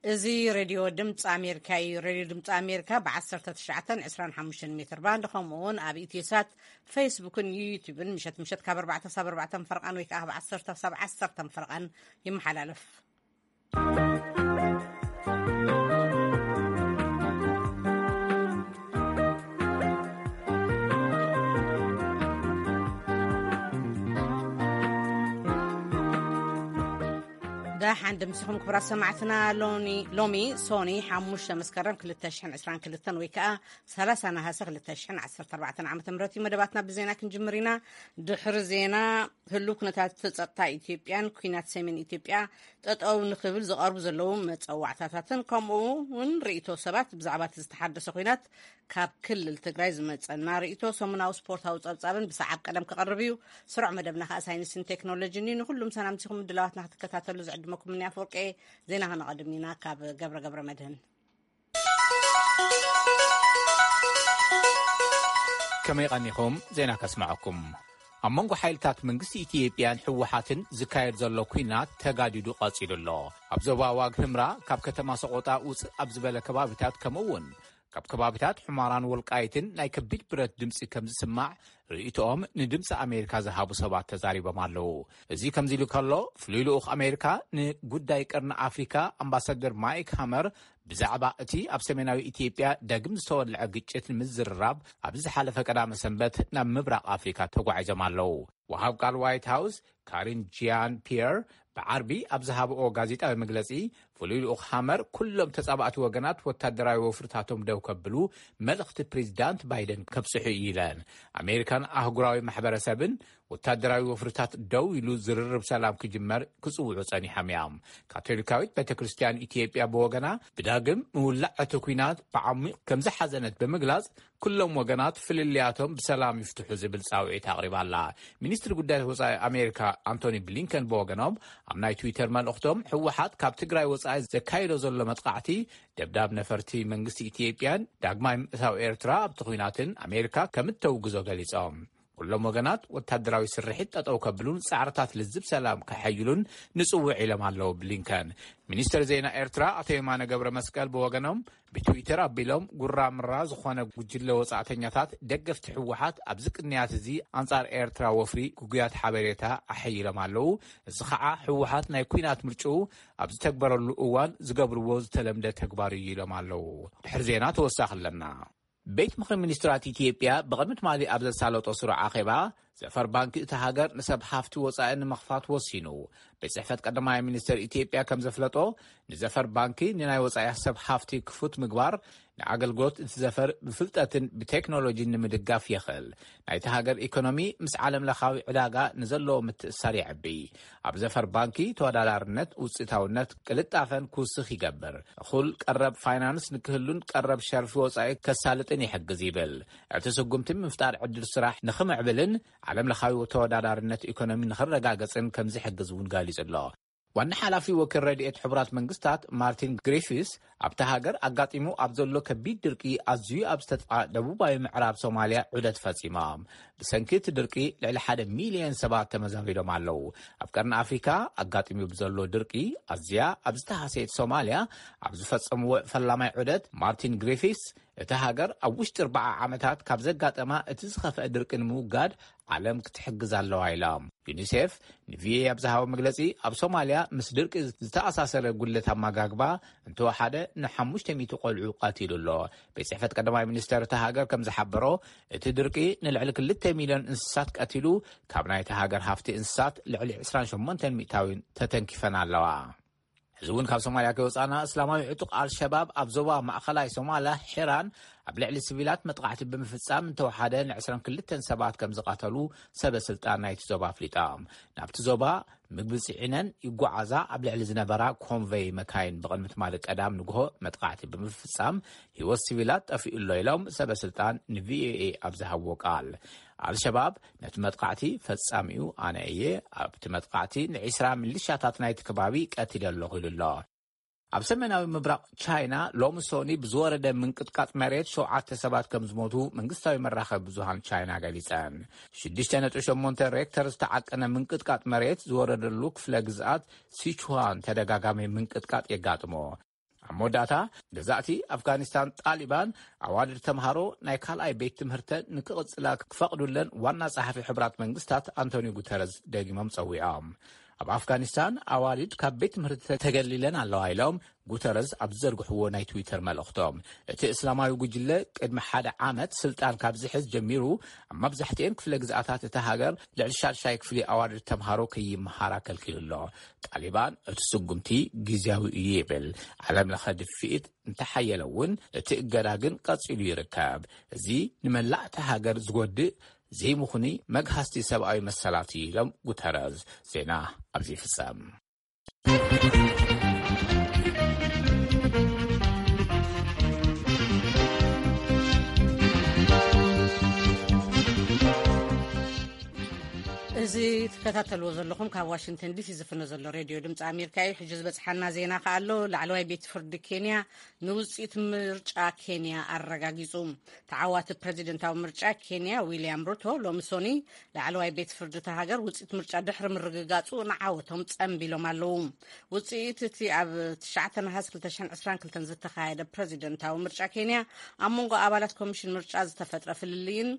እዚ ሬድዮ ድምፂ ኣሜሪካ እዩ። ሬድዮ ድምፂ ኣሜሪካ ብ19፣ 25 ሜትር ባንድ፣ ከምኡ እውን ኣብ ኢትዮሳት፣ ፌስቡክን ዩቱብን ምሸት ምሸት ካብ ኣርባዕተ ክሳብ ኣርባዕተ ፈርቓን ወይ ከዓ ካብ ዓሰርተ ክሳብ ዓሰርተ ፈርቓን ይመሓላለፍ። ደሓን ድምስኹም ክቡራት ሰማዕትና። ሎኒ- ሎሚ ሶኒ ሓሙሽተ መስከረም ክልተ ሽሕን ዕስራን ክልተን ወይ ከዓ ሰላሳ ነሃሰ ክልተ ሽሕን ዓሰርተ ኣርባዕተን ዓመተ ምህረት እዩ። መደባትና ብዜና ክንጅምር ኢና። ድሕሪ ዜና፣ ህሉው ኩነታት ጸጥታ ኢትዮጵያን ኩናት ሰሜን ኢትዮጵያ ጠጠው ንክብል ዝቐርቡ ዘለዉ መጸዋዕታታትን ከምኡ እውን ርእይቶ ሰባት ብዛዕባ እቲ ዝተሓደሰ ኩናት ካብ ክልል ትግራይ ዝመጸና ርእይቶ፣ ሰሙናዊ ስፖርታዊ ጸብጻብን ብሰዓብ ቀደም ክቐርብ እዩ። ስሩዕ መደብና ከኣ ሳይንስን ቴክኖሎጂን እዩ። ንኹሉም ሰላምቲኹም ምድላዋትና ክትከታተሉ ዝዕድመኩም እኒ ኣፈወርቂ። ዜና ከነቐድም ኢና ካብ ገብረ ገብረ መድህን። ከመይ ቀኒኹም? ዜና ከስምዐኩም። ኣብ መንጎ ሓይልታት መንግስቲ ኢትዮጵያን ህወሓትን ዝካየድ ዘሎ ኲናት ተጋዲዱ ቀጺሉ ኣሎ። ኣብ ዞባ ዋግ ህምራ ካብ ከተማ ሰቆጣ ውፅእ ኣብ ዝበለ ከባቢታት ከምኡ እውን ካብ ከባቢታት ሑማራን ወልቃይትን ናይ ከቢድ ብረት ድምፂ ከም ዝስማዕ ርእይቶኦም ንድምፂ ኣሜሪካ ዝሃቡ ሰባት ተዛሪቦም ኣለዉ። እዚ ከምዚ ኢሉ ከሎ፣ ፍሉይ ልኡኽ ኣሜሪካ ንጉዳይ ቀርኒ ኣፍሪካ ኣምባሳደር ማይክ ሃመር ብዛዕባ እቲ ኣብ ሰሜናዊ ኢትዮጵያ ዳግም ዝተወልዐ ግጭት ንምዝርራብ ኣብዚ ዝሓለፈ ቀዳመ ሰንበት ናብ ምብራቕ ኣፍሪካ ተጓዒዞም ኣለዉ። ወሃብ ቃል ዋይት ሃውስ ካሪን ጂያን ፒየር ብዓርቢ ኣብ ዝሃብኦ ጋዜጣዊ መግለጺ፣ ፍሉይ ልኡኽ ሃመር ኩሎም ተጻባእቲ ወገናት ወታደራዊ ወፍርታቶም ደው ከብሉ መልእኽቲ ፕሬዚዳንት ባይደን ከብጽሑ እዩ ኢለን። ኣሜሪካን ኣህጉራዊ ማሕበረሰብን ወታደራዊ ወፍርታት ደው ኢሉ ዝርርብ ሰላም ክጅመር ክጽውዑ ጸኒሖም እዮም። ካቶሊካዊት ቤተ ክርስቲያን ኢትዮጵያ ብወገና ብዳግም ምውላዕ እቲ ኲናት ብዓሚቕ ከም ዝሓዘነት ብምግላጽ፣ ኩሎም ወገናት ፍልልያቶም ብሰላም ይፍትሑ ዝብል ጻውዒት ኣቕሪባ ኣላ። ሚኒስትሪ ጉዳያት ወጻኢ ኣሜሪካ ኣንቶኒ ብሊንከን ብወገኖም ኣብ ናይ ትዊተር መልእኽቶም፣ ህወሓት ካብ ትግራይ ወጻኢ ዘካይዶ ዘሎ መጥቃዕቲ፣ ደብዳብ ነፈርቲ መንግስቲ ኢትዮጵያን ዳግማይ ምእታው ኤርትራ ኣብቲ ኲናትን ኣሜሪካ ከም እተውግዞ ገሊጾም። ኩሎም ወገናት ወታደራዊ ስርሒት ጠጠው ከብሉን ጻዕርታት ልዝብ ሰላም ከሐይሉን ንጽውዕ ኢሎም ኣለዉ ብሊንከን። ሚኒስትር ዜና ኤርትራ ኣቶ የማነ ገብረ መስቀል ብወገኖም ብትዊተር ኣቢሎም፣ ጉራ ምራ ዝኾነ ጉጅለ ወጻእተኛታት ደገፍቲ ህወሓት ኣብዚ ቅንያት እዚ ኣንጻር ኤርትራ ወፍሪ ግጉያት ሓበሬታ ኣሐይሎም ኣለዉ። እዚ ኸዓ ህወሓት ናይ ኲናት ምርጭኡ ኣብ ዝተግበረሉ እዋን ዝገብርዎ ዝተለምደ ተግባር እዩ ኢሎም ኣለዉ። ድሕሪ ዜና ተወሳኺ ኣለና። ቤት ምኽሪ ሚኒስትራት ኢትዮጵያ ብቕድሚ ትማሊ ኣብ ዘሳለጦ ስሩዕ ኣኼባ፣ ዘፈር ባንኪ እታ ሃገር ንሰብ ሃፍቲ ወጻኢ ንምኽፋት ወሲኑ። ቤት ጽሕፈት ቀዳማይ ሚኒስትር ኢትዮጵያ ከም ዘፍለጦ፣ ንዘፈር ባንኪ ንናይ ወጻኢ ሰብ ሃፍቲ ክፉት ምግባር፣ ንኣገልግሎት እቲ ዘፈር ብፍልጠትን ብቴክኖሎጂን ንምድጋፍ የኽእል። ናይቲ ሃገር ኢኮኖሚ ምስ ዓለም ለኻዊ ዕዳጋ ንዘለዎ ምትእስሳር የዕቢ። ኣብ ዘፈር ባንኪ ተወዳዳርነት፣ ውፅኢታውነት፣ ቅልጣፈን ክውስኽ ይገብር። እኹል ቀረብ ፋይናንስ ንክህሉን ቀረብ ሸርፊ ወጻኢ ከሳልጥን ይሕግዝ ይብል። እቲ ስጉምቲ ምፍጣር ዕድል ስራሕ ንኽምዕብልን ዓለም ለኻዊ ተወዳዳርነት ኢኮኖሚ ንኽረጋገጽን ከም ዝሕግዝ እውን ገሊጹ ኣሎ። ዋና ሓላፊ ወኪል ረድኤት ሕቡራት መንግስታት ማርቲን ግሪፊስ፣ ኣብታ ሃገር ኣጋጢሙ ኣብ ዘሎ ከቢድ ድርቂ ኣዝዩ ኣብ ዝተጥቓ ደቡባዊ ምዕራብ ሶማልያ ዑደት ፈጺሞም። ብሰንኪ እቲ ድርቂ ልዕሊ ሓደ ሚልዮን ሰባት ተመዛቢሎም ኣለዉ። ኣብ ቀርኒ ኣፍሪካ ኣጋጢሙ ብዘሎ ድርቂ ኣዝያ ኣብ ዝተሃሰየት ሶማልያ ኣብ ዝፈጸምዎ ፈላማይ ዑደት፣ ማርቲን ግሪፊስ፣ እታ ሃገር ኣብ ውሽጢ ኣርባዓ ዓመታት ካብ ዘጋጠማ እቲ ዝኸፍአ ድርቂ ንምውጋድ ዓለም ክትሕግዝ ኣለዋ ኢሎም። ዩኒሴፍ ንቪኦኤ ኣብ ዝሃቦ መግለጺ፣ ኣብ ሶማልያ ምስ ድርቂ ዝተኣሳሰረ ጉድለት ኣመጋግባ እንተወሓደ ንሓሙሽተ ሚእቲ ቆልዑ ቀቲሉ ኣሎ። ቤት ጽሕፈት ቀዳማይ ሚኒስተር እታ ሃገር ከም ዝሓበሮ፣ እቲ ድርቂ ንልዕሊ ክልተ ሚልዮን እንስሳት ቀቲሉ፣ ካብ ናይታ ሃገር ሃፍቲ እንስሳት ልዕሊ ዕስራን ሸሞንተን ሚእታዊን ተተንኪፈን ኣለዋ። እዚ እውን ካብ ሶማልያ ከይወጻና፣ እስላማዊ ዕጡቕ ኣልሸባብ ኣብ ዞባ ማእኸላይ ሶማልያ ሒራን ኣብ ልዕሊ ሲቪላት መጥቃዕቲ ብምፍጻም እንተወሓደ ን22 ሰባት ከም ዝቐተሉ ሰበ ስልጣን ናይቲ ዞባ ኣፍሊጦም። ናብቲ ዞባ ምግቢ ጽዒነን ይጓዓዛ ኣብ ልዕሊ ዝነበራ ኮንቨይ መካይን ብቕድሚ ትማሊ ቀዳም ንግሆ መጥቃዕቲ ብምፍጻም ህይወት ሲቪላት ጠፊኡ ኣሎ ኢሎም ሰበ ስልጣን ንቪኦኤ ኣብ ዝሃብዎ ቃል። ኣልሸባብ ነቲ መጥቃዕቲ ፈጻሚኡ ኣነ እየ፣ ኣብቲ መጥቃዕቲ ን20 ሚሊሻታት ናይቲ ከባቢ ቀቲለ ኣለኹ ኢሉ ኣሎ። ኣብ ሰሜናዊ ምብራቕ ቻይና ሎሚ ሶኒ ብዝወረደ ምንቅጥቃጥ መሬት ሸውዓተ ሰባት ከም ዝሞቱ መንግስታዊ መራኸቢ ብዙሃን ቻይና ገሊጸን። ሽዱሽተ ነጥቢ ሸሞንተ ሬክተር ዝተዓቀነ ምንቅጥቃጥ መሬት ዝወረደሉ ክፍለ ግዝኣት ሲቹዋን ተደጋጋሚ ምንቅጥቃጥ የጋጥሞ። ኣብ መወዳእታ፣ ገዛእቲ ኣፍጋኒስታን ጣሊባን ኣዋልድ ተምሃሮ ናይ ካልኣይ ቤት ትምህርተን ንክቕጽላ ክፈቕዱለን ዋና ጸሓፊ ሕቡራት መንግስታት ኣንቶኒዮ ጉተረዝ ደጊሞም ጸዊዖም። ኣብ ኣፍጋኒስታን ኣዋልድ ካብ ቤት ትምህርቲ ተገሊለን ኣለዋ ኢሎም ጉተረዝ ኣብ ዝዘርግሕዎ ናይ ትዊተር መልእኽቶም፣ እቲ እስላማዊ ጉጅለ ቅድሚ ሓደ ዓመት ስልጣን ካብ ዝሕዝ ጀሚሩ፣ ኣብ መብዛሕትኤን ክፍለ ግዝኣታት እቲ ሃገር ልዕሊ ሻድሻይ ክፍሊ ኣዋልድ ተምሃሮ ከይመሃራ ከልኪሉ ኣሎ። ጣሊባን እቲ ስጉምቲ ግዝያዊ እዩ ይብል። ዓለም ለኸ ድፍኢት እንተሓየለ እውን፣ እቲ እገዳ ግን ቀጺሉ ይርከብ። እዚ ንመላእ እታ ሃገር ዝጎድእ ዘይምኹኒ መግሃስቲ ሰብኣዊ መሰላት እዩ ኢሎም ጉተረዝ። ዜና ኣብዚ ይፍጸም። እዚ ትከታተልዎ ዘለኹም ካብ ዋሽንግተን ዲሲ ዝፍኖ ዘሎ ሬድዮ ድምፂ ኣሜሪካ እዩ። ሕጂ ዝበፅሓና ዜና ከኣ ኣሎ። ላዕለዋይ ቤት ፍርዲ ኬንያ ንውፅኢት ምርጫ ኬንያ ኣረጋጊፁ። ተዓዋቲ ፕረዚደንታዊ ምርጫ ኬንያ ዊልያም ሩቶ ሎሚ ሶኒ ላዕለዋይ ቤት ፍርዲ እታ ሃገር ውፅኢት ምርጫ ድሕሪ ምርግጋፁ ንዓወቶም ጸንቢሎም ኣለዉ። ውፅኢት እቲ ኣብ ትሽዓተ ነሓስ ክልተ ሽሕን ዕስራን ክልተን ዝተኻየደ ፕረዚደንታዊ ምርጫ ኬንያ ኣብ መንጎ ኣባላት ኮሚሽን ምርጫ ዝተፈጥረ ፍልልይን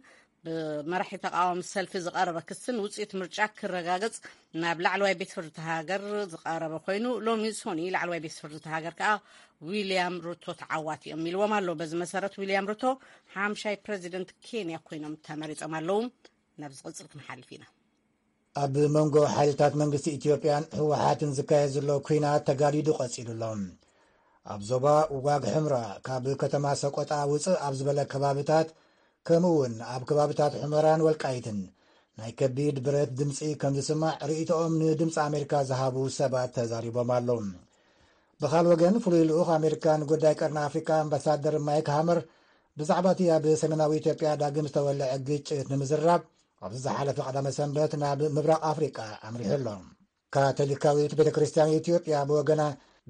ብመራሒ ተቃዋሚ ሰልፊ ዝቐረበ ክስን ውፅኢት ምርጫ ክረጋገጽ ናብ ላዕለዋይ ቤት ፍርዲ እታ ሃገር ዝቐረበ ኮይኑ፣ ሎሚ ሶኒ ላዕለዋይ ቤት ፍርዲ እታ ሃገር ከኣ ዊልያም ሩቶ ተዓዋቲ እዮም ኢልዎም ኣሎ። በዚ መሰረት ዊልያም ሩቶ ሓምሻይ ፕረዚደንት ኬንያ ኮይኖም ተመሪጾም ኣለዉ። ናብ ዝቕጽል ክንሓልፍ ኢና። ኣብ መንጎ ሓይልታት መንግስቲ ኢትዮጵያን ህወሓትን ዝካየድ ዘሎ ኲናት ተጋዲዱ ቀጺሉ ኣሎ። ኣብ ዞባ ዋግ ሕምራ ካብ ከተማ ሰቆጣ ውፅእ ኣብ ዝበለ ከባብታት፣ ከምኡ እውን ኣብ ከባብታት ሑመራን ወልቃይትን ናይ ከቢድ ብረት ድምፂ ከም ዝስማዕ ርእይቶኦም ንድምፂ ኣሜሪካ ዝሃቡ ሰባት ተዛሪቦም ኣለዉ። ብኻል ወገን፣ ፍሉይ ልኡኽ ኣሜሪካ ንጉዳይ ቀርኒ ኣፍሪካ ኣምባሳደር ማይክ ሃመር ብዛዕባ እቲ ኣብ ሰሜናዊ ኢትዮጵያ ዳግም ዝተወልዐ ግጭት ንምዝራብ ኣብዚ ዝሓለፈ ቀዳመ ሰንበት ናብ ምብራቕ ኣፍሪቃ ኣምሪሑ ኣሎ። ካቶሊካዊት ቤተ ክርስቲያን ኢትዮጵያ ብወገና፣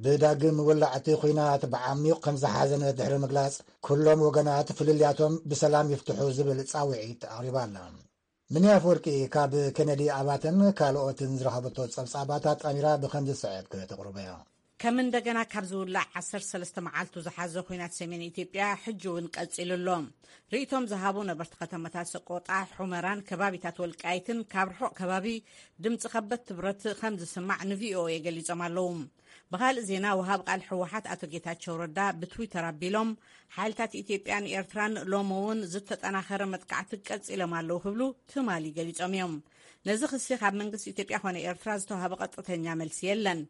ብዳግም ውላዕ እቲ ኲናት ብዓሚቕ ከም ዝሓዘነት ድሕሪ ምግላጽ፣ ኩሎም ወገናት ፍልልያቶም ብሰላም ይፍትሑ ዝብል ጻውዒት ኣቕሪባ ኣላ። ምንያ ኣፈወርቂ ካብ ኬነዲ ኣባተን ካልኦትን ዝረኸበቶ ጸብጻባት ኣጣሚራ ብኸም ዝስዕብ ከተቕርቦ እያ። ከም እንደገና ካብ ዝውላዕ ዓሰርተ ሰለስተ መዓልቱ ዝሓዘ ኲናት ሰሜን ኢትዮጵያ ሕጂ እውን ቀጺሉ ኣሎ። ርእይቶም ዝሃቡ ነበርቲ ከተማታት ሰቆጣ፣ ሑመራን ከባቢታት ወልቃይትን ካብ ርሑቕ ከባቢ ድምፂ ከበድቲ ብረት ከም ዝስማዕ ንቪኦኤ ገሊጾም ኣለዉ። ብኻልእ ዜና፣ ወሃብ ቃል ህወሓት ኣቶ ጌታቸው ረዳ ብትዊተር ኣቢሎም፣ ሓይልታት ኢትዮጵያን ኤርትራን ሎሚ እውን ዝተጠናኸረ መጥቃዕቲ ቀጺሎም ኣለዉ ክብሉ ትማሊ ገሊጾም እዮም። ነዚ ክሲ ካብ መንግስቲ ኢትዮጵያ ኮነ ኤርትራ ዝተዋህበ ቀጥተኛ መልሲ የለን።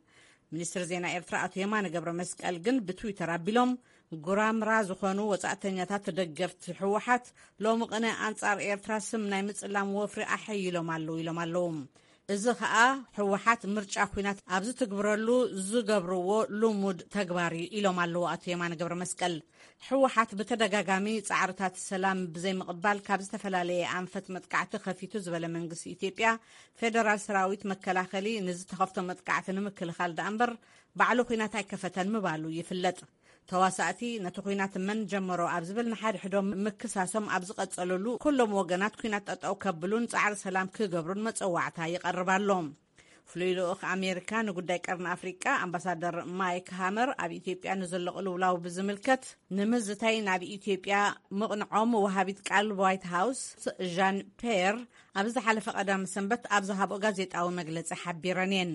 ሚኒስትር ዜና ኤርትራ ኣቶ የማነ ገብረ መስቀል ግን ብትዊተር ኣቢሎም፣ ጉራምራ ዝኾኑ ወጻእተኛታት ደገፍቲ ህወሓት ሎሚ ቅነ ኣንጻር ኤርትራ ስም ናይ ምጽላም ወፍሪ ኣሐይሎም ኣለዉ ኢሎም ኣለዉ። እዚ ኸኣ ህወሓት ምርጫ ኲናት ኣብ ዝትግብረሉ ዝገብርዎ ልሙድ ተግባር እዩ ኢሎም ኣለዉ ኣቶ የማነ ገብረ መስቀል። ህወሓት ብተደጋጋሚ ጻዕርታት ሰላም ብዘይምቕባል ካብ ዝተፈላለየ ኣንፈት መጥቃዕቲ ከፊቱ ዝበለ መንግስቲ ኢትዮጵያ፣ ፌደራል ሰራዊት መከላኸሊ ንዝተኸፍቶ መጥቃዕቲ ንምክልኻል ደኣ እምበር ባዕሉ ኲናት ኣይከፈተን ምባሉ ይፍለጥ። ተዋሳእቲ ነቲ ኲናት መን ጀመሮ ኣብ ዝብል ንሓድሕዶም ምክሳሶም ኣብ ዝቐጸለሉ፣ ኩሎም ወገናት ኲናት ጠጠው ከብሉን ጻዕሪ ሰላም ክገብሩን መጸዋዕታ ይቐርብ ኣሎ። ፍሉይ ልኡኽ ኣሜሪካ ንጉዳይ ቀርኒ ኣፍሪቃ ኣምባሳደር ማይክ ሃመር ኣብ ኢትዮጵያ ንዘሎ ቅልውላው ብዝምልከት ንምዝታይ ናብ ኢትዮጵያ ምቕንዖም ወሃቢት ቃል ዋይት ሃውስ ዣን ፔር ኣብ ዝሓለፈ ቀዳም ሰንበት ኣብ ዝሃብኦ ጋዜጣዊ መግለጺ ሓቢረን እየን።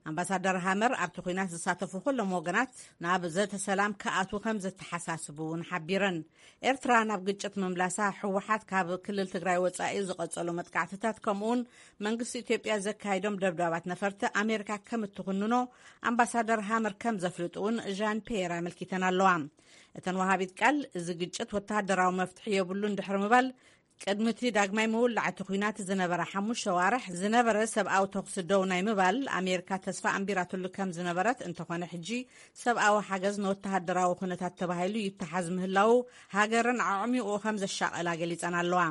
ኣምባሳደር ሃመር ኣብቲ ኲናት ዝሳተፉ ኩሎም ወገናት ናብ ዘተ ሰላም ክኣትዉ ከም ዘተሓሳስቡ እውን ሓቢረን። ኤርትራ ናብ ግጭት ምምላሳ፣ ህወሓት ካብ ክልል ትግራይ ወጻኢ ዝቐጸሉ መጥቃዕትታት፣ ከምኡውን መንግስቲ ኢትዮጵያ ዘካይዶም ደብዳባት ነፈርቲ ኣሜሪካ ከም እትኹንኖ ኣምባሳደር ሃመር ከም ዘፍልጡ እውን ዣን ፒየር ኣመልኪተን ኣለዋ። እተን ወሃቢት ቃል፣ እዚ ግጭት ወተሃደራዊ መፍትሒ የብሉን ድሕሪ ምባል፣ ቅድሚ እቲ ዳግማይ ምውላዕ እቲ ኲናት ዝነበረ ሓሙሽተ ኣዋርሕ ዝነበረ ሰብኣዊ ተኹሲ ደው ናይ ምባል ኣሜሪካ ተስፋ ኣንቢራትሉ ከም ዝነበረት፣ እንተኾነ ሕጂ ሰብኣዊ ሓገዝ ንወተሃደራዊ ኩነታት ተባሂሉ ይተሓዝ ምህላዉ ሃገረን ኣዕሚቑ ከም ዘሻቐላ ገሊጸን ኣለዋ።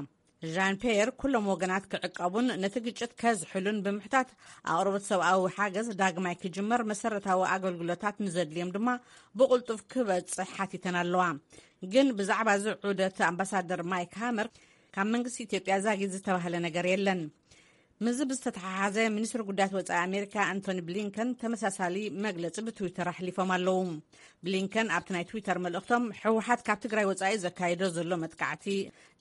ዣን ፔየር ኩሎም ወገናት ክዕቀቡን ነቲ ግጭት ከዝሕሉን ብምሕታት፣ ኣቕርቦት ሰብኣዊ ሓገዝ ዳግማይ ክጅመር፣ መሰረታዊ ኣገልግሎታት ንዘድልዮም ድማ ብቕልጡፍ ክበጽሕ ሓቲተን ኣለዋ። ግን ብዛዕባ እዚ ዑደት ኣምባሳደር ማይክ ሃመር ካብ መንግስቲ ኢትዮጵያ ዛጊት ዝተባህለ ነገር የለን። ምስዚ ብዝተተሓሓዘ፣ ሚኒስትሪ ጉዳያት ወጻኢ ኣሜሪካ ኣንቶኒ ብሊንከን ተመሳሳሊ መግለጺ ብትዊተር ኣሕሊፎም ኣለዉ። ብሊንከን ኣብቲ ናይ ትዊተር መልእኽቶም፣ ህወሓት ካብ ትግራይ ወጻኢ ዘካየዶ ዘሎ መጥቃዕቲ፣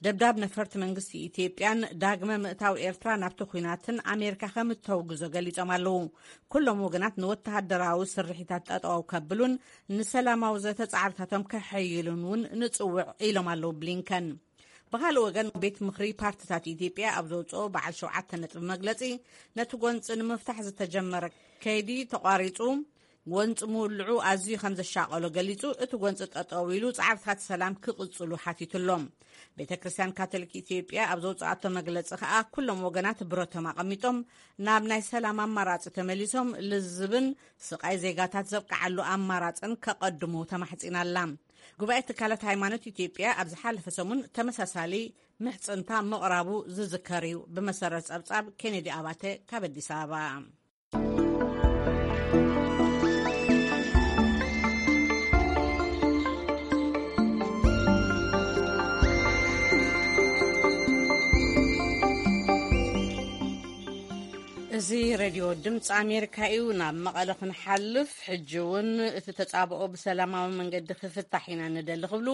ደብዳብ ነፈርቲ መንግስቲ ኢትዮጵያን ዳግመ ምእታው ኤርትራ ናብቲ ኲናትን ኣሜሪካ ከም እተውግዞ ገሊጾም ኣለዉ። ኩሎም ወገናት ንወተሃደራዊ ስርሒታት ጠጠው ከብሉን ንሰላማዊ ዘተ ጻዕርታቶም ከሐይሉን እውን ንጽውዕ ኢሎም ኣለዉ ብሊንከን። ብኻልእ ወገን፣ ቤት ምኽሪ ፓርትታት ኢትዮጵያ ኣብ ዘውፅኦ በዓል ሸውዓተ ነጥቢ መግለፂ፣ ነቲ ጎንፂ ንምፍታሕ ዝተጀመረ ከይዲ ተቋሪፁ፣ ጎንፂ ምውልዑ ኣዝዩ ከም ዘሻቐሎ ገሊፁ፣ እቲ ጎንፂ ጠጠው ኢሉ ፃዕርታት ሰላም ክቕፅሉ ሓቲቱ ኣሎ። ቤተ ክርስቲያን ካቶሊክ ኢትዮጵያ ኣብ ዘውፅኣቶ መግለፂ ከዓ፣ ኩሎም ወገናት ብረቶም ኣቐሚጦም ናብ ናይ ሰላም ኣማራፂ ተመሊሶም፣ ልዝብን ስቓይ ዜጋታት ዘብቅዓሉ ኣማራፅን ከቐድሙ ተማሕፂና ኣላ። ጉባኤ ትካላት ሃይማኖት ኢትዮጵያ ኣብ ዝሓለፈ ሰሙን ተመሳሳሊ ምሕጽንታ ምቕራቡ ዝዝከር እዩ። ብመሰረት ጸብጻብ ኬኔዲ ኣባተ ካብ ኣዲስ ኣበባ። እዚ ሬድዮ ድምፂ ኣሜሪካ እዩ። ናብ መቐለ ክንሓልፍ፣ ሕጂ እውን እቲ ተጻብኦ ብሰላማዊ መንገዲ ክፍታሕ ኢና ንደሊ ክብሉ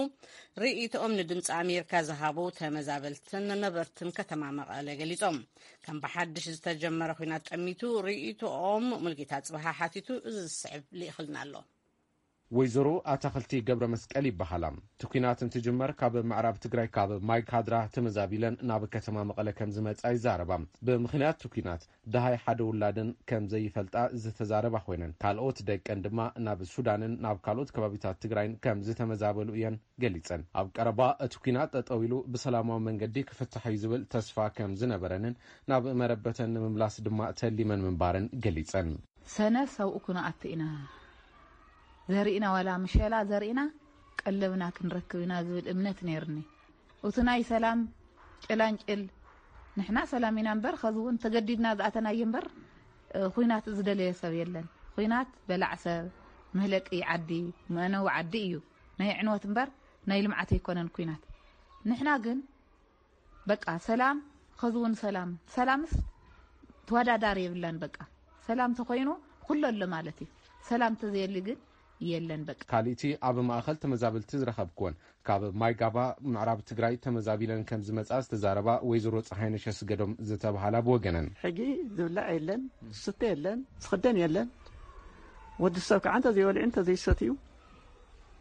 ርእይቶኦም ንድምፂ ኣሜሪካ ዝሃቡ ተመዛበልትን ነበርትን ከተማ መቐለ ገሊጾም። ከም ብሓድሽ ዝተጀመረ ኲናት ጠሚቱ ርእይቶኦም ሙልጌታ ጽብሃ ሓቲቱ፣ እዚ ዝስዕብ ልኢኽልና ኣሎ። ወይዘሮ ኣታኽልቲ ገብረ መስቀል ይበሃላ። እቲ ኲናት እንትጅመር ካብ ምዕራብ ትግራይ ካብ ማይ ካድራ ተመዛቢለን ናብ ከተማ መቐለ ከም ዝመጻ ይዛረባ። ብምኽንያት እቲ ኲናት ደሃይ ሓደ ውላደን ከም ዘይፈልጣ ዝተዛረባ ኮይነን፣ ካልኦት ደቀን ድማ ናብ ሱዳንን ናብ ካልኦት ከባቢታት ትግራይን ከም ዝተመዛበሉ እየን ገሊጸን። ኣብ ቀረባ እቲ ኲናት ጠጠው ኢሉ ብሰላማዊ መንገዲ ክፍታሕ እዩ ዝብል ተስፋ ከም ዝነበረንን ናብ መረበተን ንምምላስ ድማ ተሊመን ምንባረን ገሊጸን። ሰነ ሰብኡ ክንኣቱ ኢና። ዘርኢና ዋላ ምሸላ ዘርኢና ቀለብና ክንረክብ ኢና ዝብል እምነት ነይርኒ። እቲ ናይ ሰላም ጭላንጭል፣ ንሕና ሰላም ኢና እምበር፣ ኸዚ እውን ተገዲድና ዝኣተናዮ እምበር፣ እ፣ ኹናት ዝደለየ ሰብ የለን። ኹናት በላዕ ሰብ፣ መህለቂ ዓዲ፣ መእነዊ ዓዲ እዩ። ናይ ዕንወት እምበር ናይ ልምዓት ኣይኮነን ኲናት። ንሕና ግን በቃ ሰላም፣ ኸዚ እውን ሰላም። ሰላምስ ተወዳዳሪ የብላን። በቃ ሰላም ተኾይኑ ኩሉ ኣሎ ማለት እዩ። ሰላም ተዘየሊ ግን የለን በቃ። ካልእቲ ኣብ ማእኸል ተመዛበልቲ ዝረኸብክወን ካብ ማይጋባ ምዕራብ ትግራይ ተመዛቢለን ከም ዝመጻ ዝተዛረባ ወይዘሮ ፀሃይነሽ ኣስገዶም ዝተባሃላ ብወገነን። ሕጂ ዝብላዕ የለን፣ ዝስተ የለን፣ ዝኽደን የለን። ወዲ ሰብ ከዓ እንተዘይበልዑ እንተዘይሰትዩ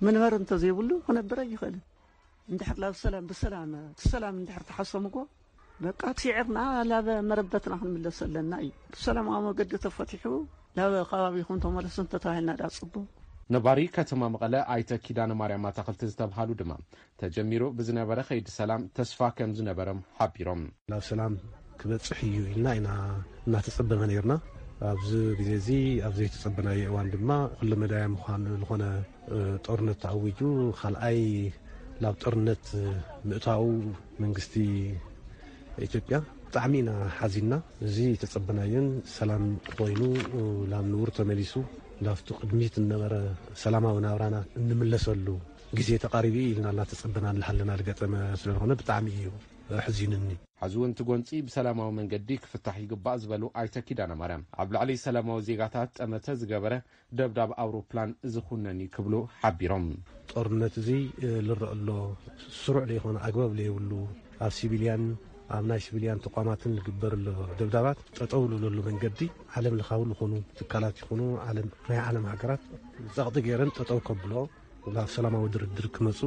መንበሪ እንተዘይብሉ ክነብር ኣይኽእልን። እንድሕር ላብ ሰላም ብሰላም እቲ ሰላም እንድሕር ተሓሰምዎ በቃ ስዒርና ላብ መረበትና ክንምለስ ኣለና እዩ። ብሰላማዊ መገዲ ተፈቲሑ ላብ ከባቢኹም ተመለሱ እንተተባሂልና ዳ ጽቡቕ። ነባሪ ከተማ መቐለ ኣይተ ኪዳነ ማርያም ኣታኽልቲ ዝተብሃሉ ድማ ተጀሚሩ ብዝነበረ ከይዲ ሰላም ተስፋ ከም ዝነበሮም ሓቢሮም። ናብ ሰላም ክበጽሕ እዩ ኢልና ኢና እናተጸበመ ነይርና። ኣብዚ ግዜ እዚ ኣብ ዘይተጸበናዮ እዋን ድማ ኩለመዳያ ምዃኑ ዝኾነ እ፣ ጦርነት ተዓዊጁ ካልኣይ ናብ ጦርነት ምእታው መንግስቲ ኢትዮጵያ ብጣዕሚ ኢና ሓዚንና። እዚ ተጸበናዮን ሰላም ኮይኑ ናብ ንቡር ተመሊሱ ናብቲ ቅድሚት ዝነበረ ሰላማዊ ናብራና እንምለሰሉ ግዜ ተቓሪቡ ኢልና እናተጸበና እናሃለና ዝገጠመ ስለዝኾነ ብጣዕሚ እዩ ኣሕዚኑኒ። ሕዚ እውን እቲ ጎንፂ ብሰላማዊ መንገዲ ክፍታሕ ይግባእ ዝበሉ ኣይተ ኪዳነ ማርያም፣ ኣብ ልዕሊ ሰላማዊ ዜጋታት ጠመተ ዝገበረ ደብዳብ ኣውሮፕላን ዝኹነን እዩ ክብሉ ሓቢሮም። ጦርነት እዚ፣ እ፣ ልረአ ኣሎ፣ ስሩዕ ዘይኮነ ኣግባብ ዘይብሉ ኣብ ሲቪልያን ኣብ ናይ ሲቪልያን ተቋማትን ዝግበር ኣሎ ደብዳባት ጠጠው ዝብለሉ መንገዲ ዓለም ለኻዊ ዝኾኑ ትካላት ይኹኑ ዓለም፣ ናይ ዓለም ሃገራት ጸቕጢ ገይረን ጠጠው ከብሎ ናብ ሰላማዊ ድርድር ክመጹ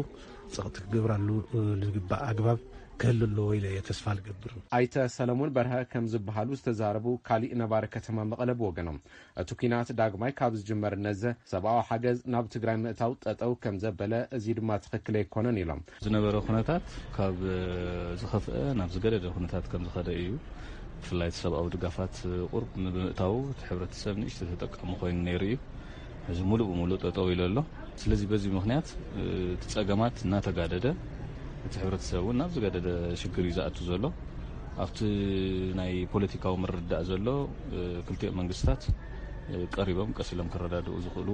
ጸቕጢ ክገብራሉ፣ እ፣ ዝግባእ ኣግባብ ክህሉ ኣለዎ ኢለ እየ ተስፋ ዝገብር። ኣይተ ሰለሞን በርሀ ከም ዝበሃሉ ዝተዛረቡ ካሊእ ነባሪ ከተማ መቐለ ብወገኖም፣ እቲ ኲናት ዳግማይ ካብ ዝጅመር ነዘ ሰብኣዊ ሓገዝ ናብ ትግራይ ምእታው ጠጠው ከም ዘበለ፣ እዚ ድማ ትኽክል ኣይኮነን ኢሎም። ዝነበረ ኩነታት ካብ ዝኸፍአ ናብ ዝገደደ ኩነታት ከም ዝኸደ እዩ። ብፍላይ እቲ ሰብኣዊ ድጋፋት ቁሩብ ብምእታዉ እቲ ሕብረተሰብ ንእሽቶ ተጠቃሚ ኮይኑ ነይሩ እዩ። ሕዚ ሙሉእ ብሙሉእ ጠጠው ኢሉ ኣሎ። ስለዚ በዚ ምኽንያት እቲ ጸገማት እናተጋደደ እቲ ሕብረተሰብ እውን ናብ ዝገደደ ሽግር እዩ ዝኣቱ ዘሎ። ኣብቲ ናይ ፖለቲካዊ ምርድዳእ ዘሎ ክልቲኦም መንግስታት ቀሪቦም ቀስ ኢሎም ክረዳድኡ ዝኽእሉ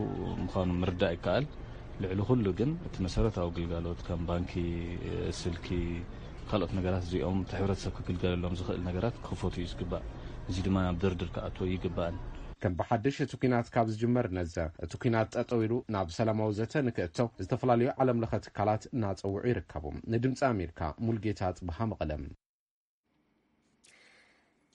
ምዃኑ ምርዳእ ይከኣል። ልዕሊ ኩሉ ግን እቲ መሰረታዊ ግልጋሎት ከም ባንኪ፣ ስልኪ፣ ካልኦት ነገራት እዚኦም እቲ ሕብረተሰብ ክግልገለሎም ዝኽእል ነገራት ክኽፈቱ እዩ ዝግባእ። እዚ ድማ ናብ ድርድር ክኣትዎ ይግባእ። ከም ብሓድሽ እቲ ኲናት ካብ ዝጅመር ነዘ፣ እቲ ኲናት ጠጠው ኢሉ ናብ ሰላማዊ ዘተ ንክእቶ ዝተፈላለዩ ዓለም ለኸ ትካላት እናጸውዑ ይርከቡ። ንድምፂ ኣሜሪካ፣ ሙልጌታ ጽብሃ፣ መቐለ።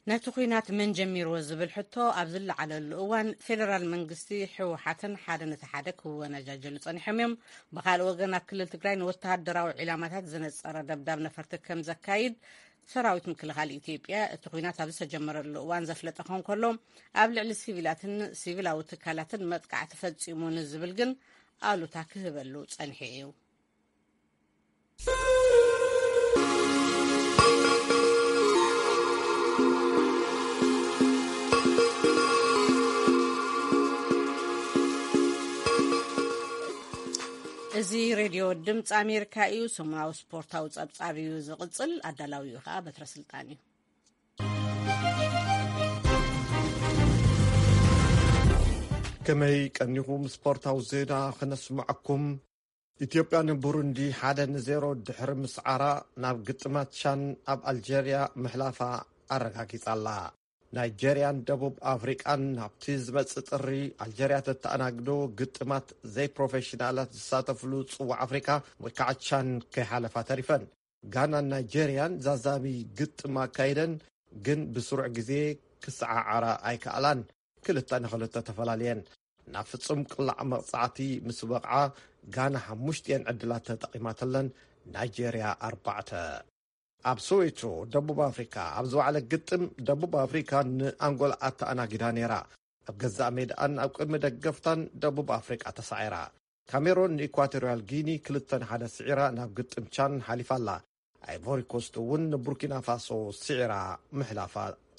ነቲ ኲናት መን ጀሚርዎ ዝብል ሕቶ ኣብ ዝለዓለሉ እዋን፣ ፌደራል መንግስቲ፣ ህወሓትን ሓደ ነቲ ሓደ ክወነጃጀሉ ጸኒሖም እዮም። ብኻልእ ወገን፣ ኣብ ክልል ትግራይ ንወተሃደራዊ ዒላማታት ዘነጸረ ደብዳብ ነፈርቲ ከም ዘካይድ ሰራዊት ምክልኻል ኢትዮጵያ፣ እቲ ኲናት ኣብ ዝተጀመረሉ እዋን ዘፍለጠ ከንከሎ፣ ኣብ ልዕሊ ሲቪላትን ሲቪላዊ ትካላትን መጥቃዕቲ ፈጺሙ ንዝብል ግን ኣሉታ ክህበሉ ጸኒሑ እዩ። እዚ ሬድዮ ድምፂ ኣሜሪካ እዩ። ሰሙናዊ ስፖርታዊ ጸብጻብ እዩ ዝቕጽል። ኣዳላዊኡ ከዓ በትረ ስልጣን እዩ። ከመይ ቀኒኹም? ስፖርታዊ ዜና ክነስምዐኩም። ኢትዮጵያ ንቡሩንዲ ሓደ ንዜሮ ድሕሪ ምስዓራ፣ ናብ ግጥማት ቻን ኣብ ኣልጀርያ ምሕላፋ ኣረጋጊጻ ኣላ። ናይጀርያን ደቡብ ኣፍሪቃን ናብቲ ዝመጽእ ጥሪ ኣልጀርያ ተተኣናግዶ ግጥማት ዘይፕሮፌሽናላት ዝሳተፍሉ ጽዋዕ ኣፍሪቃ ወይ ከዓ ቻን ከይሓለፋ ተሪፈን። ጋናን ናይጀርያን ዛዛሚ ግጥም ኣካይደን፣ ግን ብስሩዕ ግዜ ክሰዓዓራ ኣይከኣላን። ክልተ ንኽልተ ተፈላለየን። ናብ ፍጹም ቅላዕ መቕጻዕቲ ምስ በቕዓ፣ ጋና ሓሙሽቲኤን ዕድላት ተጠቒማተለን፣ ናይጀርያ ኣርባዕተ። ኣብ ሶዌቶ፣ ደቡብ ኣፍሪካ፣ ኣብ ዝወዓለ ግጥም፣ ደቡብ ኣፍሪካ ንኣንጎላ ኣተኣናጊዳ ነይራ። ኣብ ገዛእ ሜድኣን ኣብ ቅድሚ ደገፍታን ደቡብ ኣፍሪቃ ተሳዒራ። ካሜሮን ንኢኳቶርያል ጊኒ ክልተ ንሓደ ስዒራ ናብ ግጥም ቻን ሓሊፋ ኣላ። ኣይቮሪ ኮስት እውን ንቡርኪና ፋሶ ስዒራ ምሕላፋ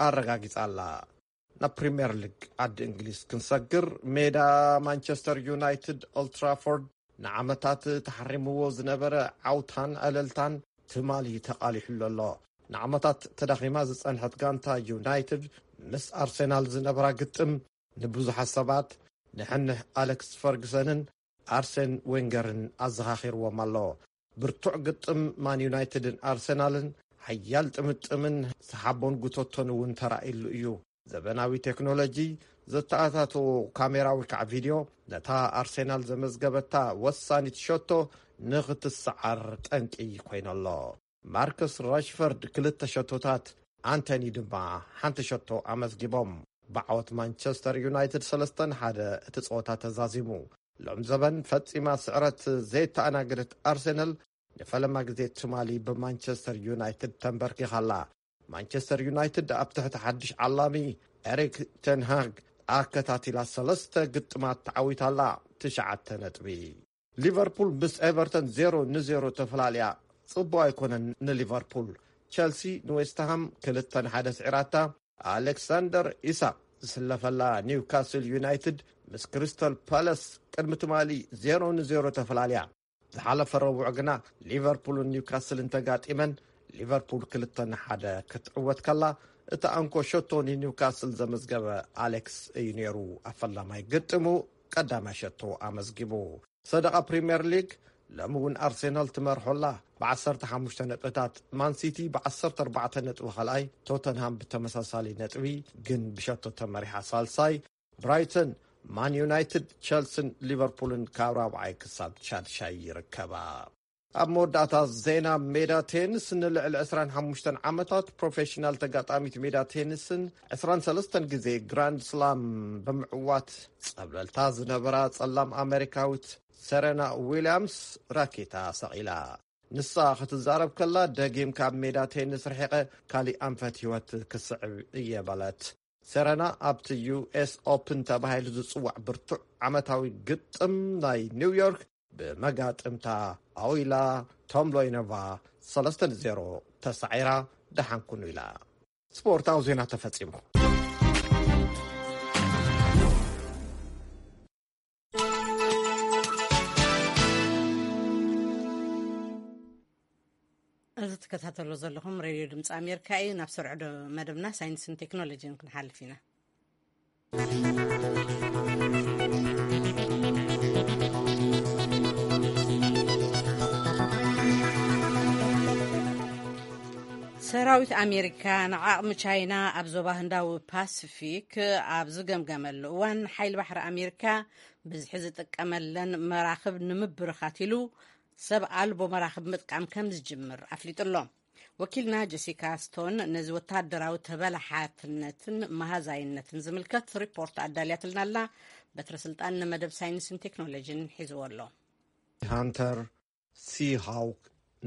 ኣረጋጊጻ ኣላ። ናብ ፕሪምየር ሊግ ዓዲ እንግሊዝ ክንሰግር፣ ሜዳ ማንቸስተር ዩናይትድ ኦልትራፎርድ ንዓመታት ተሓሪምዎ ዝነበረ ዓውታን ዕልልታን ትማሊ ተቓሊሑሉ ኣሎ። ንዓመታት ተዳኺማ ዝጸንሐት ጋንታ ዩናይትድ ምስ ኣርሴናል ዝነበራ ግጥም ንብዙሓት ሰባት ንሕንሕ ኣሌክስ ፈርግሰንን ኣርሴን ዌንገርን ኣዘኻኺርዎም ኣሎ። ብርቱዕ ግጥም ማን ዩናይትድን ኣርሰናልን ሓያል ጥምጥምን ሰሓቦን ጉተቶን እውን ተራእይሉ እዩ። ዘበናዊ ቴክኖሎጂ ዘተኣታተዎ ካሜራ ወይ ከዓ ቪድዮ ነታ ኣርሴናል ዘመዝገበታ ወሳኒት ሸቶ ንኽትሰዓር ጠንቂ ኮይኖ ኣሎ። ማርከስ ራሽፈርድ ክልተ ሸቶታት፣ ኣንቶኒ ድማ ሓንቲ ሸቶ ኣመዝጊቦም። ብዓወት ማንቸስተር ዩናይትድ ሰለስተ ንሓደ እቲ ጸወታ ተዛዚሙ። ሎም ዘበን ፈጺማ ስዕረት ዘይተኣናገደት ኣርሰናል ንፈለማ ግዜ ትማሊ ብማንቸስተር ዩናይትድ ተንበርኪኻ ኣላ። ማንቸስተር ዩናይትድ ኣብ ትሕቲ ሓድሽ ዓላሚ ኤሪክ ቴንሃግ ኣከታቲላ ሰለስተ ግጥማት ተዓዊታ ኣላ፣ ትሽዓተ ነጥቢ። ሊቨርፑል ምስ ኤቨርተን ዜሮ ንዜሮ ተፈላልያ። ጽቡቕ ኣይኮነን ንሊቨርፑል። ቸልሲ ንዌስትሃም ክልተ ንሓደ ስዒራታ። ኣሌክሳንደር ኢሳቅ ዝስለፈላ ኒውካስል ዩናይትድ ምስ ክሪስታል ፓላስ ቅድሚ ትማሊ ዜሮ ንዜሮ ተፈላልያ። ዝሓለፈ ረቡዕ ግና ሊቨርፑልን ኒውካስልን ተጋጢመን፣ ሊቨርፑል ክልተ ንሓደ ክትዕወት ከላ፣ እቲ ኣንኮ ሸቶ ንኒውካስል ዘመዝገበ ኣሌክስ እዩ ነይሩ። ኣብ ፈላማይ ግጥሙ ቀዳማይ ሸቶ ኣመዝጊቡ። ሰደቓ ፕሪምየር ሊግ፣ ሎሚ እውን ኣርሴናል ትመርሖ ኣላ ብዓሰርተ ሓሙሽተ ነጥብታት። ማን ሲቲ ብዓሰርተ ኣርባዕተ ነጥቢ ካልኣይ፣ ቶተንሃም ብተመሳሳሊ ነጥቢ ግን ብሸቶ ተመሪሓ ሳልሳይ። ብራይተን፣ ማን ዩናይትድ፣ ቸልስን ሊቨርፑልን ካብ ራብዓይ ክሳብ ሻድሻይ ይርከባ። ኣብ መወዳእታ ዜና ሜዳ ቴንስ፣ ንልዕሊ ዕስራን ሓሙሽተን ዓመታት ፕሮፌሽናል ተጋጣሚት ሜዳ ቴንስን ዕስራን ሰለስተን ግዜ ግራንድ ስላም ብምዕዋት ጸብለልታ ዝነበራ ጸላም ኣሜሪካዊት ሰረና ዊልያምስ ራኬታ ሰቒላ። ንሳ ክትዛረብ ከላ፣ ደጊም ካብ ሜዳ ቴንስ ርሒቐ ካሊእ ኣንፈት ህይወት ክስዕብ እየ በለት። ሰረና ኣብቲ ዩ ኤስ ኦፕን ተባሂሉ ዝጽዋዕ ብርቱዕ ዓመታዊ ግጥም ናይ ኒውዮርክ ብመጋጥምታ ኣዊላ ቶምሎይኖቫ ሰለስተ ንዜሮ ተሳዒራ ደሓን ኩኑ ኢላ። ስፖርታዊ ዜና ተፈጺሙ። እዚ ትከታተሎ ዘለኹም ሬድዮ ድምፂ ኣሜሪካ እዩ። ናብ ሰርዖ ዶ-፣ መደብና ሳይንስን ቴክኖሎጂን ክንሓልፍ ኢና። ሰራዊት ኣሜሪካ ንዓቕሚ ቻይና ኣብ ዞባ ህንዳዊ ፓሲፊክ ኣብ ዝገምገመሉ እዋን፣ ሓይሊ ባሕሪ ኣሜሪካ ብዝሒ ዝጥቀመለን መራኽብ ንምብርኻት ኢሉ ሰብ ኣልቦ መራኽብ ምጥቃም ከም ዝጅምር ኣፍሊጡ ኣሎ። ወኪልና ጀሲካ ስቶን ነዚ ወታደራዊ ተበላሓትነትን መሃዛይነትን ዝምልከት ሪፖርት ኣዳልያትልና ኣላ። በትረ ስልጣን ንመደብ ሳይንስን ቴክኖሎጂን ሒዝዎ ኣሎ። ሃንተር፣ ሲሃውክ፣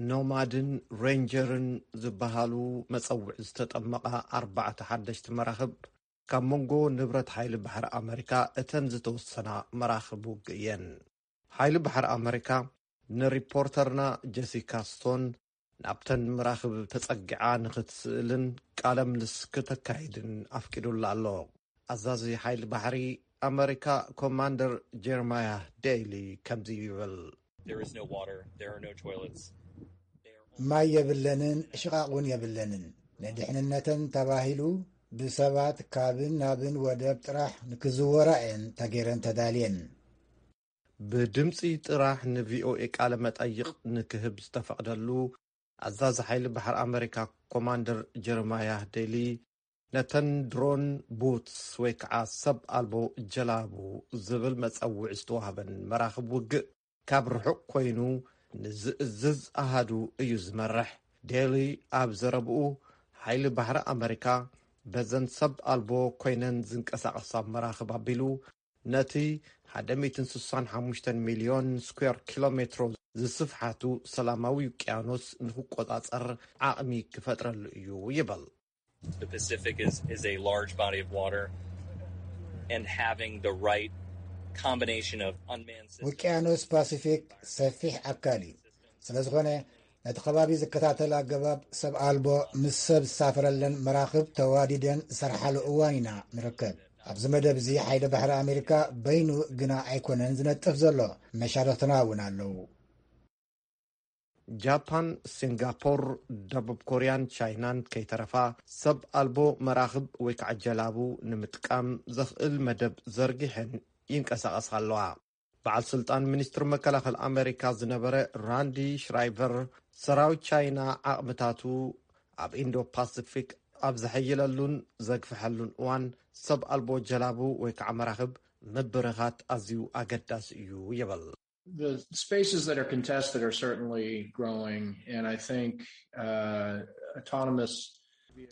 ኖማድን ሬንጀርን ዝበሃሉ መጸውዒ ዝተጠመቓ ኣርባዕተ ሓደሽቲ መራኽብ ካብ መንጎ ንብረት ሓይሊ ባሕሪ ኣመሪካ እተን ዝተወሰና መራኽብ ውግእ እየን። ሓይሊ ባሕሪ ኣመሪካ ንሪፖርተርና ጀሲካ ስቶን ናብተን መራኽብ ተጸጊዓ ንኽትስእልን ቃለ ምልስ ክተካይድን ኣፍቂዱላ ኣሎ። ኣዛዚ ሓይሊ ባሕሪ ኣመሪካ ኮማንደር ጀርማያ ዴይሊ ከምዚ ይብል። There is no water. There are no toilets. ማይ የብለንን፣ ሽቓቕ እውን የብለንን። ንድሕንነተን ተባሂሉ ብሰባት ካብን ናብን ወደብ ጥራሕ ንክዝወራ እየን ተገይረን ተዳልየን። ብድምፂ ጥራሕ ንቪኦኤ ቃለ መጠይቕ ንክህብ ዝተፈቕደሉ ኣዛዚ ሓይሊ ባሕሪ ኣመሪካ ኮማንደር ጀርማያ ዴይሊ፣ ነተን ድሮን ቡትስ ወይ ከዓ ሰብ ኣልቦ ጀላቡ ዝብል መፀውዒ ዝተዋህበን መራኽብ ውግእ ካብ ርሑቕ ኮይኑ ንዝእዝዝ ኣሃዱ እዩ ዝመርሕ። ዴይሊ ኣብ ዘረብኡ፣ ሓይሊ ባሕሪ ኣመሪካ በዘን ሰብ ኣልቦ ኮይነን ዝንቀሳቐሳ መራኽብ ኣቢሉ ነቲ ሓደ ሚእትን ስሳን ሓሙሽተን ሚልዮን ስኩዌር ኪሎ ሜትሮ ዝስፍሓቱ ሰላማዊ ውቅያኖስ ንክቆጻጸር ዓቕሚ ክፈጥረሉ እዩ ይብል። The Pacific is, is a large body of water, and having the right combination of unmanned systems. ውቅያኖስ ፓሲፊክ ሰፊሕ ኣካል እዩ። ስለ ዝኾነ ነቲ ከባቢ ዝከታተል ኣገባብ ሰብ ኣልቦ ምስ ሰብ ዝሳፈረለን መራኽብ ተዋዲደን ዝሰርሓሉ እዋን ኢና ንርከብ። ኣብዚ መደብ እዚ ሓይሊ ባሕሪ ኣሜሪካ በይኑ ግና ኣይኮነን ዝነጥፍ ዘሎ፣ መሻርኽትና እውን ኣለዉ። ጃፓን፣ ሲንጋፖር፣ ደቡብ ኮርያን ቻይናን ከይተረፋ ሰብ ኣልቦ መራኽብ ወይ ከዓ ጀላቡ ንምጥቃም ዘኽእል መደብ ዘርጊሐን ይንቀሳቐሳ ኣለዋ። በዓል ስልጣን ሚኒስትሪ መከላኸሊ ኣሜሪካ ዝነበረ ራንዲ ሽራይቨር፣ ሰራዊት ቻይና ዓቕምታቱ ኣብ ኢንዶ ፓሲፊክ ኣብ ዘሐይለሉን ዘግፍሐሉን እዋን ሰብ ኣልቦ ጀላቡ ወይ ከዓ መራኽብ ምብርኻት ኣዝዩ ኣገዳሲ እዩ ይብል። The spaces that are contested are certainly growing, and I think uh, autonomous.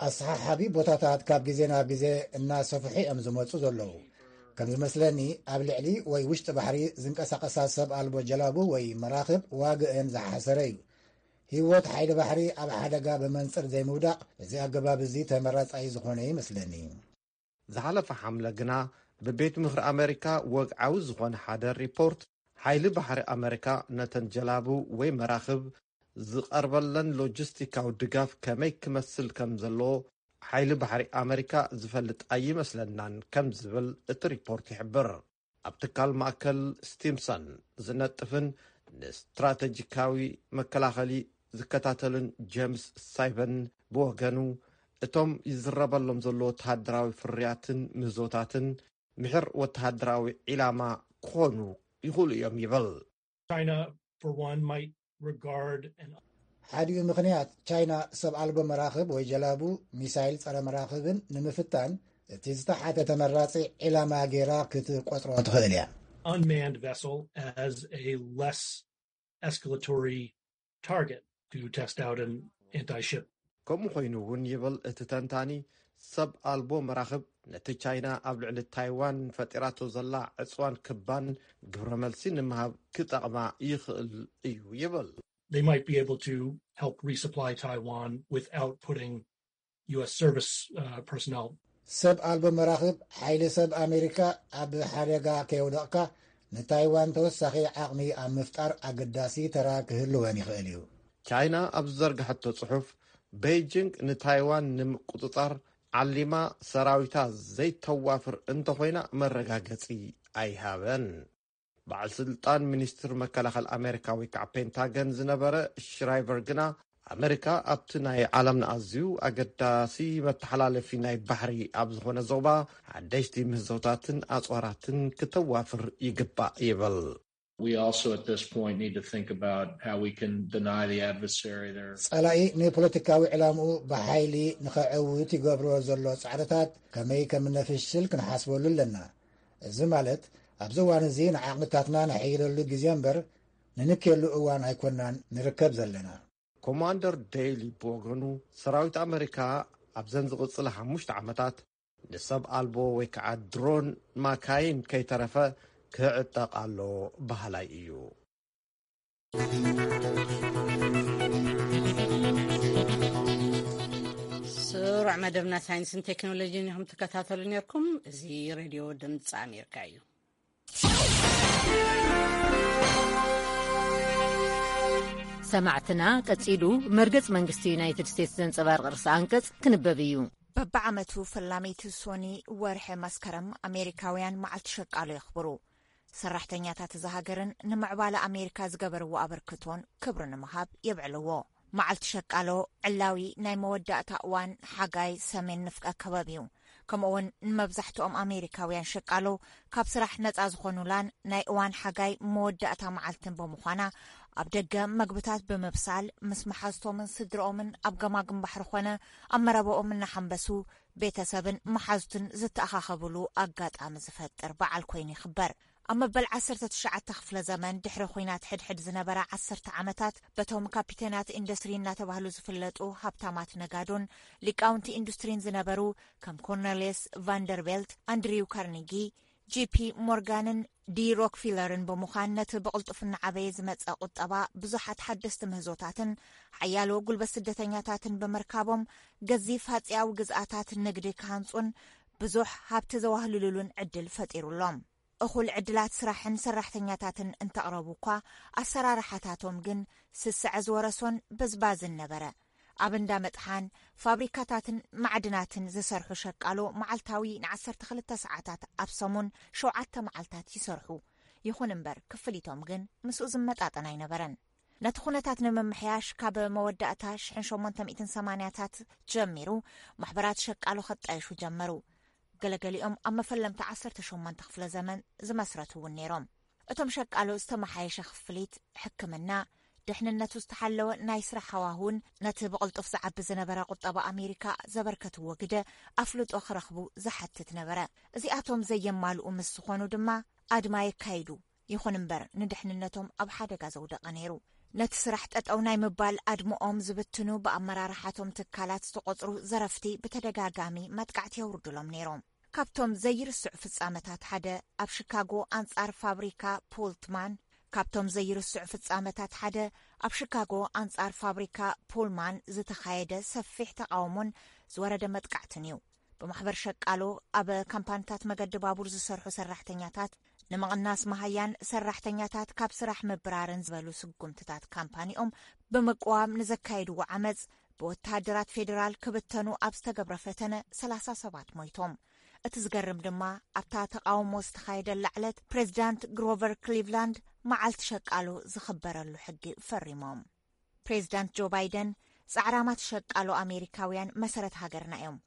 ኣሰሓሓቢ ቦታታት ካብ ግዜ ናብ ግዜ እናሰፍሑ እዮም ዝመፁ ዘለዉ። ከም ዝመስለኒ ኣብ ልዕሊ ወይ ውሽጢ ባሕሪ ዝንቀሳቐሳ ሰብ ኣልቦ ጀላቡ ወይ መራኽብ ዋግአን ዝሓሰረ እዩ። ህይወት ሓይሊ ባሕሪ ኣብ ሓደጋ ብመንፅር ዘይምውዳቕ እዚ ኣገባብ እዚ ተመራፃይ ዝኾነ ይመስለኒ። ዝሓለፈ ሓምለ ግና ብቤት ምኽሪ ኣሜሪካ ወግዓዊ ዝኾነ ሓደ ሪፖርት ሓይሊ ባሕሪ ኣመሪካ ነተን ጀላቡ ወይ መራኽብ ዝቐርበለን ሎጂስቲካዊ ድጋፍ ከመይ ክመስል ከም ዘለዎ ሓይሊ ባሕሪ ኣመሪካ ዝፈልጥ ኣይመስለናን ከም ዝብል እቲ ሪፖርት ይሕብር። ኣብ ትካል ማእከል ስቲምሰን ዝነጥፍን ንስትራተጂካዊ መከላኸሊ ዝከታተልን ጀምስ ሳይበን ብወገኑ፣ እቶም ይዝረበሎም ዘሎ ወተሃደራዊ ፍርያትን ምህዞታትን ምሕር ወተሃደራዊ ዒላማ ክኾኑ ይኽእሉ እዮም ይብል። China, for one, might regard an ሓዲኡ ምኽንያት ቻይና ሰብ ኣልቦ መራኽብ ወይ ጀላቡ፣ ሚሳይል ጸረ መራኽብን ንምፍታን እቲ ዝተሓተ ተመራጺ ዒላማ ገይራ ክትቆጽሮ ትኽእል እያ። Unmanned vessel as a less escalatory target to test out an anti ship. ከምኡ ኮይኑ እውን ይብል እቲ ተንታኒ፣ ሰብ ኣልቦ መራኽብ ነቲ ቻይና ኣብ ልዕሊ ታይዋን ፈጢራቶ ዘላ ዕፅዋን ክባን ግብረ መልሲ ንምሃብ ክጠቕማ ይኽእል እዩ ይብል። They might be able to help resupply Taiwan without putting U S service uh, personnel. ሰብ ኣልቦ መራኽብ ሓይሊ ሰብ ኣሜሪካ ኣብ ሓደጋ ከየውደቕካ ንታይዋን ተወሳኺ ዓቕሚ ኣብ ምፍጣር ኣገዳሲ ተራ ክህልወን ይኽእል እዩ። ቻይና ኣብ ዝዘርግሐቶ ጽሑፍ፣ ቤይጂንግ ንታይዋን ንምቁጽጻር ዓሊማ ሰራዊታ ዘይተዋፍር እንተኾይና መረጋገጺ ኣይሃበን። በዓል ስልጣን ሚኒስትር መከላኸሊ ኣሜሪካ ወይ ከዓ ፔንታገን ዝነበረ ሽራይቨር ግና፣ ኣሜሪካ ኣብቲ ናይ ዓለምና ኣዝዩ ኣገዳሲ መተሓላለፊ ናይ ባሕሪ ኣብ ዝኾነ ዞባ ሓደሽቲ ምህዞታትን ኣፅዋራትን ክተዋፍር ይግባእ ይብል። We also at this point need to think about how we can deny the adversary their ጸላኢ ንፖለቲካዊ ዕላምኡ ብሓይሊ ንኸዕውት ይገብሮ ዘሎ ጻዕርታት ከመይ ከም እነፍሽል ክንሓስበሉ ኣለና። እዚ ማለት ኣብዚ እዋን እዚ ንዓቕምታትና ነሐይለሉ ግዜ እምበር ንንክየሉ እዋን ኣይኮናን ንርከብ ዘለና። ኮማንደር ዴይሊ ብወገኑ፣ ሰራዊት ኣመሪካ ኣብዘን ዝቕጽላ ሓሙሽተ ዓመታት ንሰብ ኣልቦ ወይ ከዓ ድሮን ማካይን ከይተረፈ ክዕጠቕ ኣሎ በሃላይ እዩ። ስሩዕ መደብና ሳይንስን ቴክኖሎጂን ኢኹም ትከታተሉ ነርኩም። እዚ ሬድዮ ድምፂ ኣሜሪካ እዩ። ሰማዕትና፣ ቀጺሉ መርገጽ መንግስቲ ዩናይትድ ስቴትስ ዘንጸባርቕ ርእሰ ኣንቀጽ ክንበብ እዩ። በብዓመቱ ፈላመይቲ ሶኒ ወርሒ መስከረም ኣሜሪካውያን መዓልቲ ሸቃሎ የኽብሩ። ሰራሕተኛታት እዛ ሃገርን ንምዕባለ ኣሜሪካ ዝገበርዎ ኣበርክቶን ክብሪ ንምሃብ የብዕልዎ። መዓልቲ ሸቃሎ ዕላዊ ናይ መወዳእታ እዋን ሓጋይ ሰሜን ንፍቀ ክበብ እዩ። ከምኡውን ንመብዛሕትኦም ኣሜሪካውያን ሸቃሎ ካብ ስራሕ ነጻ ዝኾኑላን ናይ እዋን ሓጋይ መወዳእታ መዓልትን ብምዃና ኣብ ደገ መግብታት ብምብሳል ምስ መሓዝቶምን ስድርኦምን ኣብ ገማግም ባሕሪ ኾነ ኣብ መረባኦም እናሓንበሱ ቤተሰብን መሓዙትን ዝተኣኻኸብሉ ኣጋጣሚ ዝፈጥር በዓል ኮይኑ ይኽበር። ኣብ መበል ዓሰርተ ትሽዓተ ክፍለ ዘመን ድሕሪ ኹናት ሕድሕድ ዝነበራ ዓሰርተ ዓመታት በቶም ካፒቴናት ኢንዱስትሪ እናተባህሉ ዝፍለጡ ሃብታማት ነጋዶን ሊቃውንቲ ኢንዱስትሪን ዝነበሩ ከም ኮርኔልየስ ቫንደርቤልት፣ ኣንድሪው ካርኒጊ፣ ጂ ፒ ሞርጋንን ዲ ሮክፊለርን ብምዃን ነቲ ብቕልጡፍ እናዓበየ ዝመጸ ቁጠባ ብዙሓት ሓደስቲ ምህዞታትን ሓያሎ ጉልበት ስደተኛታትን ብምርካቦም ገዚፍ ሃጺያዊ ግዝኣታት ንግዲ ክሃንጹን ብዙሕ ሃብቲ ዘዋህልሉሉን ዕድል ፈጢሩሎም። እኹል ዕድላት ስራሕን ሰራሕተኛታትን እንተቕረቡ እኳ ኣሰራርሓታቶም ግን ስስዐ ዝወረሶን በዝባዝን ነበረ። ኣብ እንዳ መጥሓን ፋብሪካታትን ማዕድናትን ዝሰርሑ ሸቃሎ መዓልታዊ ንዓሰርተ ክልተ ሰዓታት ኣብ ሰሙን ሸውዓተ መዓልታት ይሰርሑ። ይኹን እምበር ክፍሊቶም ግን ምስኡ ዝመጣጠን ኣይነበረን። ነቲ ኩነታት ንምምሕያሽ ካብ መወዳእታ ሽሕን ሸሞንተ ሚእትን ሰማንያታት ጀሚሩ ማሕበራት ሸቃሎ ከጣየሹ ጀመሩ። ገለገሊኦም ኣብ መፈለምታ ዓሰርተ ሸሞንተ ክፍለ ዘመን ዝመስረቱ እውን ነይሮም። እቶም ሸቃሎ ዝተመሓየሸ ክፍሊት፣ ሕክምና፣ ድሕንነቱ ዝተሓለወ ናይ ስራሕ ሃዋሁን ነቲ ብቕልጡፍ ዝዓቢ ዝነበረ ቁጠባ ኣሜሪካ ዘበርከትዎ ግደ ኣፍልጦ ክረኽቡ ዝሓትት ነበረ። እዚኣቶም ዘየማልኡ ምስ ዝኾኑ ድማ ኣድማ የካይዱ። ይኹን እምበር ንድሕንነቶም ኣብ ሓደጋ ዘውደቐ ነይሩ። ነቲ ስራሕ ጠጠው ናይ ምባል ኣድምኦም ዝብትኑ ብኣመራርሓቶም ትካላት ዝተቖጽሩ ዘረፍቲ ብተደጋጋሚ መጥቃዕቲ የውርዱሎም ነይሮም። ካብቶም ዘይርስዑ ፍጻመታት ሓደ ኣብ ሽካጎ ኣንጻር ፋብሪካ ፖልትማን ካብቶም ዘይርስዑ ፍጻመታት ሓደ ኣብ ሽካጎ ኣንጻር ፋብሪካ ፖልማን ዝተኻየደ ሰፊሕ ተቓውሞን ዝወረደ መጥቃዕትን እዩ። ብማሕበር ሸቃሎ ኣብ ካምፓኒታት መገዲ ባቡር ዝሰርሑ ሰራሕተኛታት ንምቕናስ መሃያን ሰራሕተኛታት ካብ ስራሕ ምብራርን ዝበሉ ስጉምትታት ካምፓኒኦም ብምቅዋም ንዘካየድዎ ዓመፅ ብወተሃደራት ፌዴራል ክብተኑ ኣብ ዝተገብረ ፈተነ ሰላሳ ሰባት ሞይቶም። እቲ ዝገርም ድማ ኣብታ ተቃውሞ ዝተኻየደላ ዕለት ፕሬዚዳንት ግሮቨር ክሊቭላንድ መዓልቲ ሸቃሎ ዝኽበረሉ ሕጊ ፈሪሞም። ፕሬዚዳንት ጆ ባይደን ፃዕራማት ሸቃሎ ኣሜሪካውያን መሰረት ሃገርና እዮም።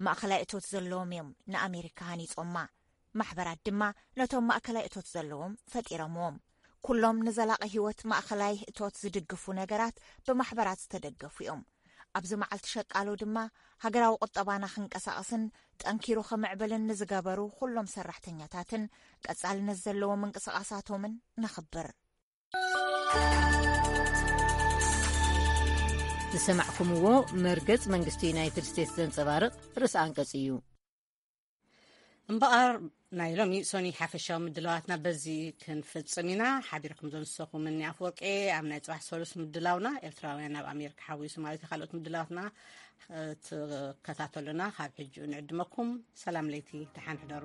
ማእኸላይ እቶት ዘለዎም እዮም ንኣሜሪካ ሃኒፆማ። ማሕበራት ድማ ነቶም ማእከላይ እቶት ዘለዎም ፈጢሮምዎም። ኩሎም ንዘላቒ ህይወት ማእኸላይ እቶት ዝድግፉ ነገራት ብማሕበራት ዝተደገፉ እዮም። ኣብዚ መዓልቲ ሸቃሎ ድማ ሃገራዊ ቁጠባና ክንቀሳቐስን ጠንኪሩ ክምዕብልን ንዝገበሩ ኩሎም ሰራሕተኛታትን ቀጻልነት ዘለዎ ምንቅስቓሳቶምን ነኽብር። ዝሰማዕኩምዎ መርገጽ መንግስቲ ዩናይትድ ስቴትስ ዘንጸባርቕ ርእሲ ኣንቀጽ እዩ። እምበኣር ናይ ሎሚ ሶኒ ሓፈሻዊ ምድላዋትና በዚ ክንፍጽም ኢና። ሓቢርኩም ዘንሰኹም እኒ ኣፍወርቄ ኣብ ናይ ጽባሕ ሰሉስ ምድላውና ኤርትራውያን ኣብ ኣሜሪካ ሓዊሱ ማለት እዩ። ካልኦት ምድላዋትና ትከታተሉና ካብ ሕጂ ንዕድመኩም። ሰላም ለይቲ፣ ደሓን ሕደሩ።